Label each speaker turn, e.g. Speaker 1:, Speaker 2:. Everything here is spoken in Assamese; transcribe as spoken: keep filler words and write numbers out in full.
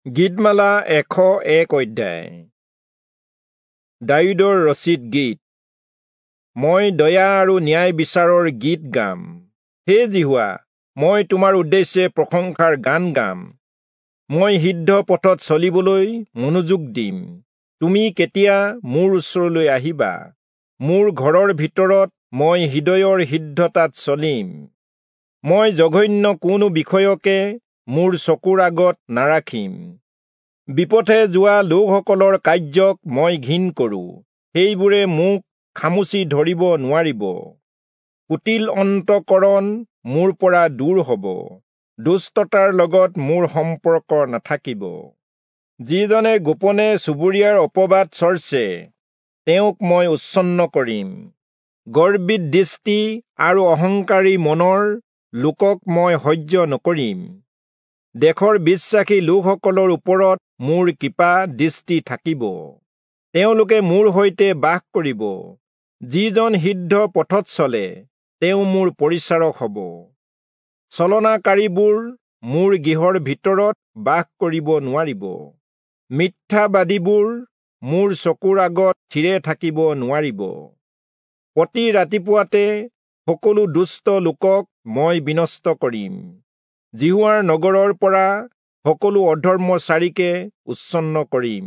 Speaker 1: গীতমালা এশ এক অধ্যায়। দায়ূদৰ ৰচিত গীত। মই দয়া আৰু ন্যায় বিচাৰৰ গীত গাম। হে যিহোৱা, মই তোমাৰ উদ্দেশ্যে প্ৰশংসাৰ গান গাম। মই সিদ্ধ পথত চলিবলৈ মনোযোগ দিম। তুমি কেতিয়া মোৰ ওচৰলৈ আহিবা? মোৰ ঘৰৰ ভিতৰত মই হৃদয়ৰ সিদ্ধতাত চলিম। মই জঘন্য কোনো বিষয়কে মোৰ চকুৰ আগত নাৰাখিম। বিপথে যোৱা লোকসকলৰ কাৰ্যক মই ঘিণ কৰোঁ, সেইবোৰে মোক খামুচি ধৰিব নোৱাৰিব। কুটিল অন্তঃকৰণ মোৰ পৰা দূৰ হ'ব, দুষ্টতাৰ লগত মোৰ সম্পৰ্ক নাথাকিব। যিজনে গোপনে চুবুৰীয়াৰ অপবাদ চৰ্চে, তেওঁক মই উচ্ছন্ন কৰিম। গৰ্বিত দৃষ্টি আৰু অহংকাৰী মনৰ লোকক মই সহ্য নকৰিম। দেশৰ বিশ্বাসী লোকসকলৰ ওপৰত মোৰ কৃপা দৃষ্টি থাকিব, তেওঁলোকে মোৰ সৈতে বাস কৰিব। যিজন সিদ্ধ পথত চলে, তেওঁ মোৰ পৰিচাৰক হ'ব। ছলনাকাৰীবোৰ মোৰ গৃহৰ ভিতৰত বাস কৰিব নোৱাৰিব। মিথ্যাবাদীবোৰ মোৰ চকুৰ আগত থিৰে থাকিব নোৱাৰিব। প্ৰতি ৰাতিপুৱাতে সকলো দুষ্ট লোকক মই বিনষ্ট কৰিম। যিহোৱাৰ নগৰৰ পৰা সকলো অধৰ্মচাৰীকে উচ্ছন্ন কৰিম।